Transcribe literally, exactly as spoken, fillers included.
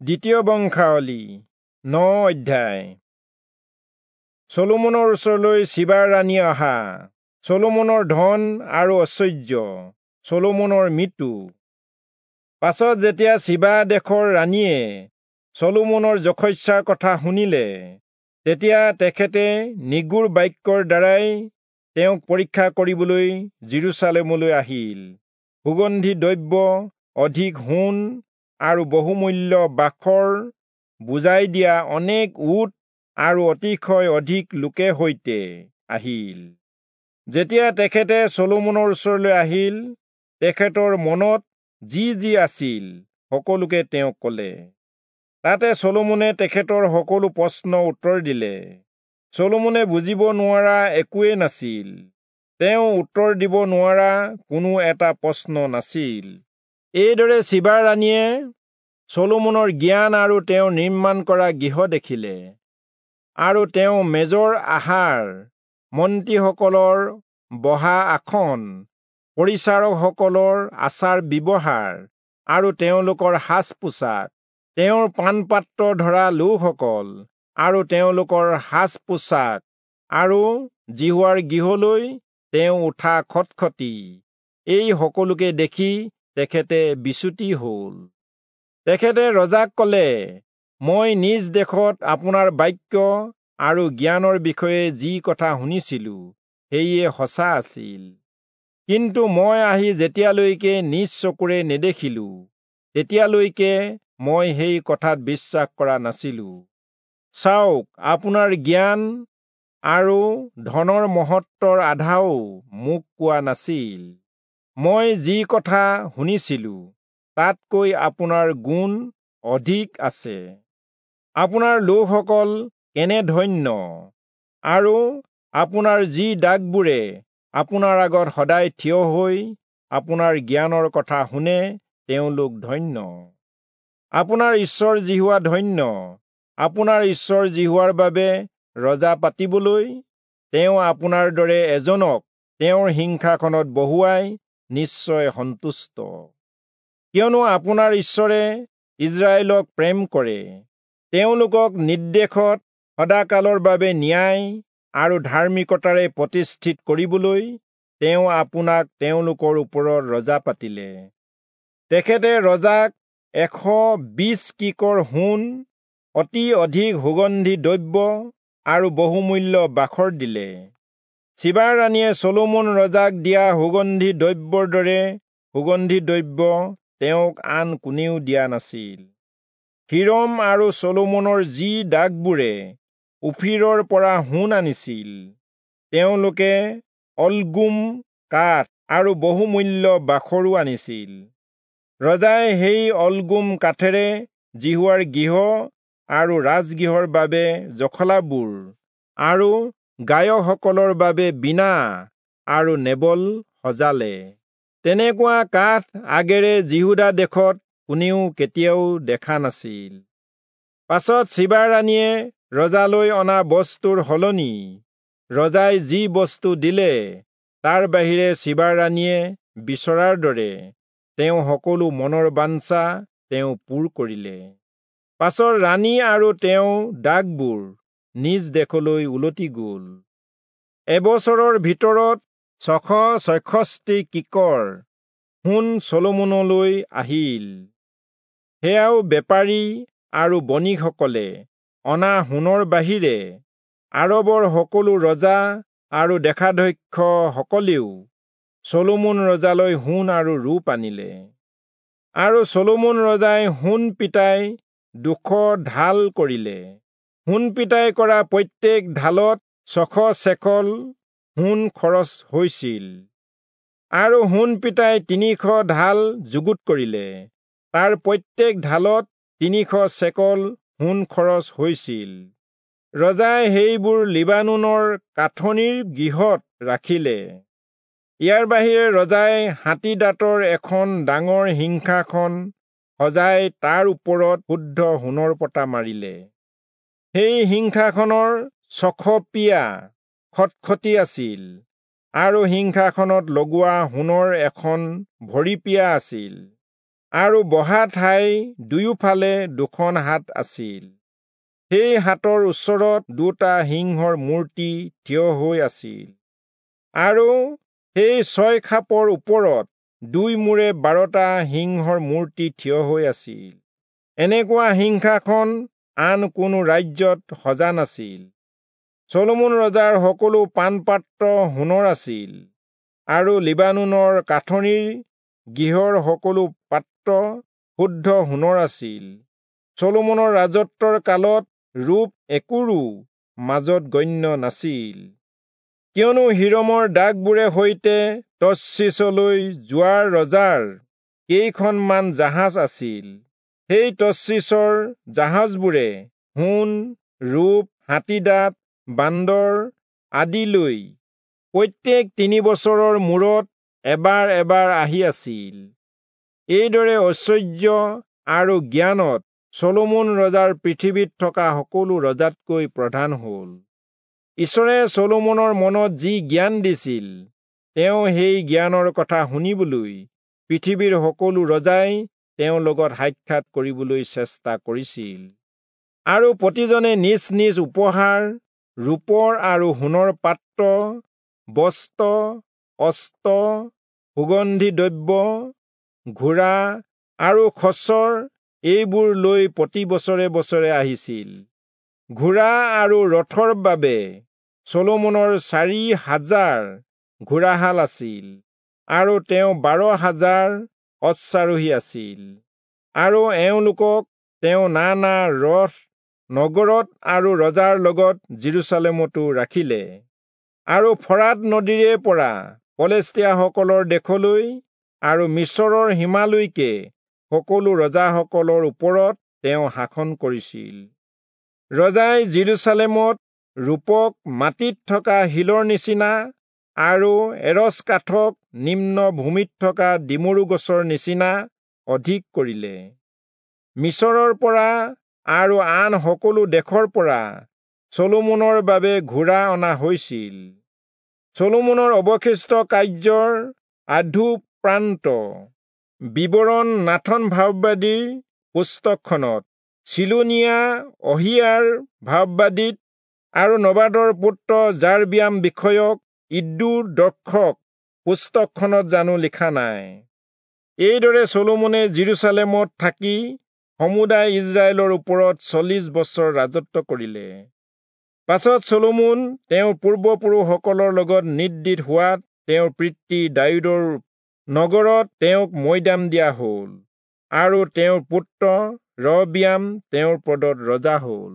দ্বিতীয় বংশাৱলী ন অধ্যায়। চলোমনৰ ওচৰলৈ চিবাৰ ৰাণী অহা, চলোমনৰ ধন আৰু ঐশ্বৰ্য, চলোমনৰ মৃত্যু। পাছত যেতিয়া চিবা দেশৰ ৰাণীয়ে চলোমনৰ যশস্যাৰ কথা শুনিলে, তেতিয়া তেখেতে নিগূঢ় বাক্যৰ দ্বাৰাই তেওঁক পৰীক্ষা কৰিবলৈ যিৰূচালেমলৈ আহিল। সুগন্ধি দ্ৰব্য, অধিক সোণ আৰু বহুমূল্য বাখৰ বুজাই দিয়া অনেক উট আৰু অতিশয় অধিক লোকে সৈতে আহিল। যেতিয়া তেখেতে চলোমনৰ ওচৰলৈ আহিল, তেখেতৰ মনত যি যি আছিল সকলোকে তেওঁক ক'লে। তাতে চলোমনে তেখেতৰ সকলো প্ৰশ্ন উত্তৰ দিলে। চলোমনে বুজিব নোৱাৰা একোৱেই নাছিল, তেওঁ উত্তৰ দিব নোৱাৰা কোনো এটা প্ৰশ্ন নাছিল। এইদৰে চিবাৰ ৰাণীয়ে চলোমনৰ জ্ঞান আৰু তেওঁ নিৰ্মাণ কৰা গৃহ দেখিলে, আৰু তেওঁ মেজৰ আহাৰ, মন্ত্ৰীসকলৰ বহা আসন, পৰিচাৰকসকলৰ আচাৰ ব্যৱহাৰ আৰু তেওঁলোকৰ সাজ পোছাক, তেওঁৰ পানপাত্ৰ ধৰা লোকসকল আৰু তেওঁলোকৰ সাজ পোছাক, আৰু যিহোৱাৰ গৃহলৈ তেওঁ উঠা খটখটি, এই সকলোকে দেখি তেখেতে বিচুতি হ'ল। তেখেতে ৰজাক ক'লে, মই নিজ দেশত আপোনাৰ বাক্য আৰু জ্ঞানৰ বিষয়ে যি কথা শুনিছিলো সেয়ে সঁচা আছিল, কিন্তু মই আহি যেতিয়ালৈকে নিজ চকুৰে নেদেখিলো তেতিয়ালৈকে মই সেই কথাত বিশ্বাস কৰা নাছিলো। চাওক, আপোনাৰ জ্ঞান আৰু ধনৰ মহত্বৰ আধাও মোক কোৱা নাছিল। মই যি কথা শুনিছিলো তাতকৈ আপোনাৰ গুণ অধিক আছে। আপোনাৰ লোকসকল কেনে ধন্য, আৰু আপোনাৰ যি দাগবোৰে আপোনাৰ আগত সদায় থিয় হৈ আপোনাৰ জ্ঞানৰ কথা শুনে তেওঁলোক ধন্য। আপোনাৰ ঈশ্বৰ যিহোৱা ধন্য, আপোনাৰ ঈশ্বৰ যিহোৱাৰ বাবে ৰজা পাতিবলৈ তেওঁ আপোনাৰ দৰে এজনক তেওঁৰ সিংহাসনত বহুৱাই নিশ্চয় সন্তুষ্ট। কিয়নো আপোনাৰ ঈশ্বৰে ইস্ৰায়েলক প্ৰেম কৰে, তেওঁলোকক নিৰ্দেশত সদাকালৰ বাবে ন্যায় আৰু ধাৰ্মিকতাৰে প্ৰতিষ্ঠিত কৰিবলৈ তেওঁ আপোনাক তেওঁলোকৰ ওপৰত ৰজা পাতিলে। তেখেতে ৰজাক এশ বিশ কিকৰ সোণ, অতি অধিক সুগন্ধি দ্ৰব্য আৰু বহুমূল্য বাখৰ দিলে। চিবাৰ ৰাণীয়ে চলোমন ৰজাক দিয়া সুগন্ধি দ্ৰব্যৰ দৰে সুগন্ধি দ্ৰব্য তেওঁক আন কোনেও দিয়া নাছিল। হিৰম আৰু চলোমনৰ যি দাগবোৰে ওফিৰৰ পৰা সোণ আনিছিল, তেওঁলোকে অলগুম কাঠ আৰু বহুমূল্য বাখৰো আনিছিল। ৰজাই সেই অলগুম কাঠেৰে যিহোৱাৰ গৃহ আৰু ৰাজগৃহৰ বাবে জখলাবোৰ আৰু গায়কসকলৰ বাবে বীণা আৰু নেবল সজালে। তেনেকুৱা কাঠ আগেৰে যিহূদা দেশত কোনেও কেতিয়াও দেখা নাছিল। পাছত চিবাৰ ৰাণীয়ে ৰজালৈ অনা বস্তুৰ সলনি ৰজাই যি বস্তু দিলে তাৰ বাহিৰে চিবাৰ ৰাণীয়ে বিচৰাৰ দৰে তেওঁ সকলো মনৰ বাঞ্ছা তেওঁ পূৰ কৰিলে। পাছত ৰাণী আৰু তেওঁ দাগবোৰ নিজ দেশলৈ উলটি গ'ল। এবছৰৰ ভিতৰত ছশ ছয়ষষ্ঠি কিকৰ সোণ চলোমনলৈ আহিল। সেয়াও বেপাৰী আৰু বণিকসকলে অনা সোণৰ বাহিৰে আৰবৰ সকলো ৰজা আৰু দেশাধ্যক্ষসকলেও চলোমন ৰজালৈ সোণ আৰু ৰূপ আনিলে। আৰু চলোমন ৰজাই সোণ পিটাই দুশ ঢাল কৰিলে। সোণ পিটাই কৰা প্ৰত্যেক ঢালত ছশ চেকল সোণ খৰচ হৈছিল। আৰু সোণ পিটাই তিনিশ ঢাল যুগুত কৰিলে, তাৰ প্ৰত্যেক ঢালত তিনিশ চেকল সোণ খৰচ হৈছিল। ৰজাই সেইবোৰ লিবানোনৰ কাঠনিৰ গৃহত ৰাখিলে। ইয়াৰ বাহিৰে ৰজাই হাতী দাঁতৰ এখন ডাঙৰ সিংহাসন সজাই তাৰ ওপৰত শুদ্ধ সোণৰ পতা মাৰিলে। সেই সিংহাসনৰ ছশ পিয়া খটখটি আছিল আৰু সিংহাসনত লগোৱা সোণৰ এখন ভৰিপিয়া আছিল। আৰু বহা ঠাই দুয়োফালে দুখন হাত আছিল। সেই হাতৰ ওচৰত দুটা সিংহৰ মূৰ্তি থিয় হৈ আছিল, আৰু সেই ছয় খাপৰ ওপৰত দুই মূৰে বাৰটা সিংহৰ মূৰ্তি থিয় হৈ আছিল। এনেকুৱা সিংহাসন আন কোনো ৰাজ্যত সজা নাছিল। চলোমন ৰজাৰ সকলো পানপাত্ৰ সোণৰ আছিল, আৰু লিবানোনৰ কাঠনিৰ গৃহৰ সকলো পাত্ৰ শুদ্ধ সোণৰ আছিল। চলোমনৰ ৰাজত্বৰ কালত ৰূপ একোৰো মাজত গণ্য নাছিল, কিয়নো হিৰমৰ দাগবোৰে সৈতে তৰ্চীচলৈ যোৱাৰ ৰজাৰ কেইখনমান জাহাজ আছিল। সেই তৰ্চীচৰ জাহাজবোৰে সোণ, ৰূপ, হাতীদাঁত, বান্দৰ আদি লৈ প্ৰত্যেক তিনি বছৰৰ মূৰত এবাৰ এবাৰ আহি আছিল। এইদৰে ঐশ্বৰ্য আৰু জ্ঞানত চলোমন ৰজাৰ পৃথিৱীত থকা সকলো ৰজাতকৈ প্ৰধান হ'ল। ঈশ্বৰে চলোমনৰ মনত যি জ্ঞান দিছিল, তেওঁ সেই জ্ঞানৰ কথা শুনিবলৈ পৃথিৱীৰ সকলো ৰজাই তেওঁৰ লগত সাক্ষাৎ কৰিবলৈ চেষ্টা কৰিছিল। আৰু প্ৰতিজনে নিজ নিজ উপহাৰ, ৰূপৰ আৰু সোণৰ পাত্ৰ, বস্ত্ৰ, অস্ত্ৰ, সুগন্ধি দ্ৰব্য, ঘোঁৰা আৰু খচৰ এইবোৰ লৈ প্ৰতি বছৰে বছৰে আহিছিল। ঘোঁৰা আৰু ৰথৰ বাবে চলোমনৰ চাৰি হাজাৰ ঘোঁৰাশাল আছিল, আৰু তেওঁ বাৰ হাজাৰ অশ্বাৰোহী আছিল। আৰু এওঁলোকক তেওঁ নানা ৰথ নগৰত আৰু ৰজাৰ লগত যিৰূচালেমতো ৰাখিলে। আৰু ফৰাত নদীৰে পৰা পলেষ্টীয়াসকলৰ দেশলৈ আৰু মিচৰৰ সীমালৈকে সকলো ৰজাসকলৰ ওপৰত তেওঁ শাসন কৰিছিল। ৰজাই যিৰূচালেমত ৰূপক মাটিত থকা শিলৰ নিচিনা আৰু এৰচ কাঠক নিম্ন ভূমিত থকা ডিমৰু গছৰ নিচিনা অধিক কৰিলে। মিচৰৰ পৰা আৰু আন সকলো দেশৰ পৰা চলোমনৰ বাবে ঘোঁৰা অনা হৈছিল। চলোমনৰ অৱশিষ্ট কাৰ্যৰ আধুপ্ৰান্ত বিৱৰণ নাথন ভাববাদীৰ পুস্তকখনত, চিলোনীয়া অহিয়াৰ ভাববাদীত আৰু নবাদৰ পুত্ৰ যাৰবিয়াম বিষয়ক ইদ্দোৰ দৰ্শক পুস্তকখনত জানো লিখা নাই? এইদৰে চলোমনে যিৰূচালেমত থাকি সমুদায় ইস্ৰায়েলৰ ওপৰত চল্লিশ বছৰ ৰাজত্ব কৰিলে। পাছত চলোমন তেওঁৰ পূৰ্বপুৰুষসকলৰ লগত নিদ্ৰিত হোৱাত তেওঁৰ পিতৃ দায়ূদৰ নগৰত তেওঁক মৈদাম দিয়া হ'ল, আৰু তেওঁৰ পুত্ৰ ৰহবিয়াম তেওঁৰ পদত ৰজা হ'ল।